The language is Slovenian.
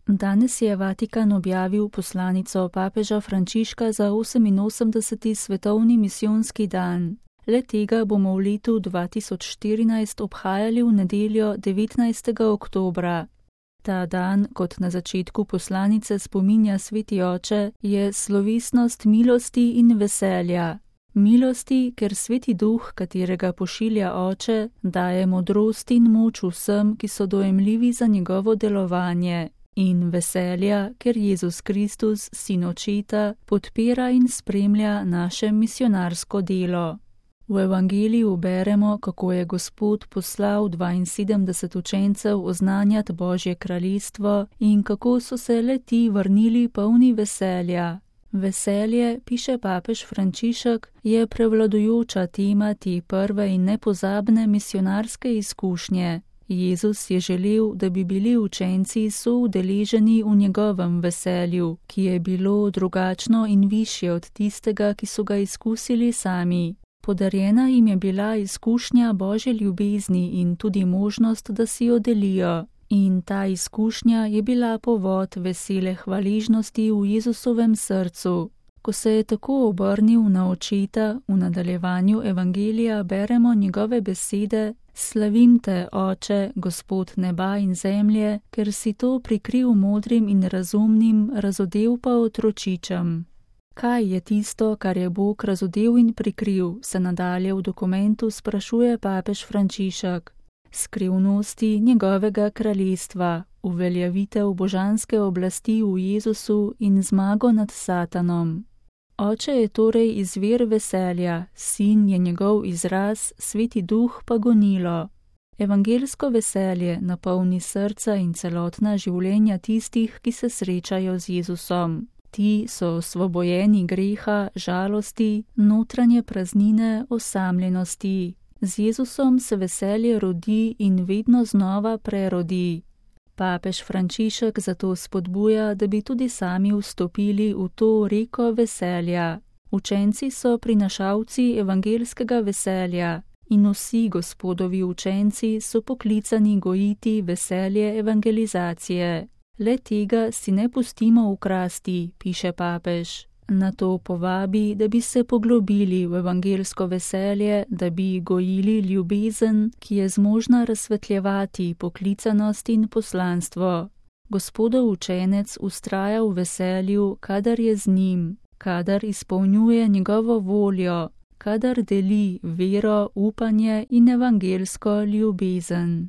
Danes je Vatikan objavil poslanico papeža Frančiška za 88. svetovni misijonski dan. Le tega bomo v letu 2014 obhajali v nedeljo 19. oktobra. Ta dan, kot na začetku poslanice spominja Sveti oče, je slovesnost milosti in veselja. Milosti, ker Sveti Duh, katerega pošilja oče, daje modrost in moč vsem, ki so dojemljivi za njegovo delovanje. In veselja, ker Jezus Kristus, sin očeta, podpira in spremlja naše misionarsko delo. V evangeliju beremo, kako je Gospod poslal 72 učencev oznanjati Božje kraljestvo in kako so se le-ti vrnili polni veselja. Veselje, piše papež Frančišek, je prevladujoča tema te prve in nepozabne misionarske izkušnje. Jezus je želel, da bi bili učenci soudeleženi v njegovem veselju, ki je bilo drugačno in višje od tistega, ki so ga izkusili sami. Podarjena jim je bila izkušnja Božje ljubezni in tudi možnost, da si jo delijo. In ta izkušnja je bila povod vesele hvaležnosti v Jezusovem srcu. Ko se je tako obrnil na očeta, v nadaljevanju evangelija beremo njegove besede: Slavim te, Oče, Gospod neba in zemlje, ker si to prikril modrim in razumnim, razodel pa otročičem. Kaj je tisto, kar je Bog razodel in prikril, se nadalje v dokumentu sprašuje papež Frančišek. Skrivnosti njegovega kraljestva, uveljavitev božanske oblasti v Jezusu in zmago nad Satanom. Oče je torej izvir veselja, sin je njegov izraz, Sveti Duh pa gonilo. Evangelsko veselje napolni srca in celotna življenja tistih, ki se srečajo z Jezusom. Ti so osvobojeni greha, žalosti, notranje praznine, osamljenosti. Z Jezusom se veselje rodi in vedno znova prerodi. Papež Frančišek zato spodbuja, da bi tudi sami vstopili v to reko veselja. Učenci so prinašalci evangelskega veselja in vsi Gospodovi učenci so poklicani gojiti veselje evangelizacije. Le tega si ne pustimo ukrasti, piše papež. Na to povabi, da bi se poglobili v evangelsko veselje, da bi gojili ljubezen, ki je zmožna razsvetljevati poklicanost in poslanstvo. Gospodov učenec vztraja v veselju, kadar je z njim, kadar izpolnjuje njegovo voljo, kadar deli vero, upanje in evangelsko ljubezen.